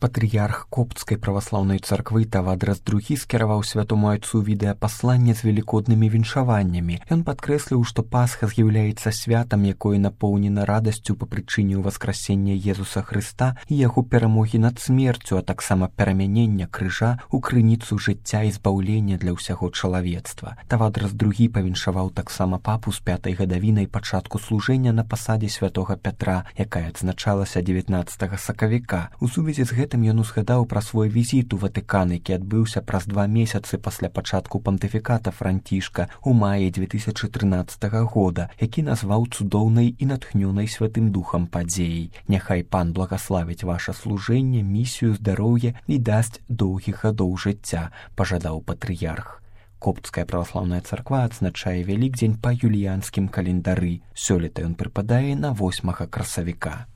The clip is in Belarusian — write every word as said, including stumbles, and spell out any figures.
Патрыярх Коптскай праваслаўнай царквы Тавадрас другі скіраваў святому айцу відэапасланне з велікоднымі віншаваннямі. Ён падкрэсліў, што Пасха з'яўляецца святам, якое напоўнена радасцю па прычыне ўваскрасення Езуса Хрыста і яго перамогі над смерцю, а таксама перамянення крыжа ў крыніцу жыцця і збаўлення для ўсяго чалавецтва. Тавадрас другі павіншаваў таксама папу з пятай гадавінай пачатку служэння на пасадзе святога Пятра, якая адзначалася дзевятнаццатага сакавіка. У сувязі з гэтым ён узгадаў пра свой візіт у Ватыкан, які адбыўся праз два месяцы пасля пачатку пантыфіката Францішка ў маі дзве тысячы трынаццатага года, які назваў цудоўнай і натхнёнай святым духам падзеяй. Няхай пан благаславіць ваша служэнне, місію, здароўе і дасць доўгіх гадоў жыцця, пажадаў патрыярх. Коптская праваслаўная царква адзначае Вялікдзень па юліянскім календары. Сёлета ён прыпадае на восьмага красавіка.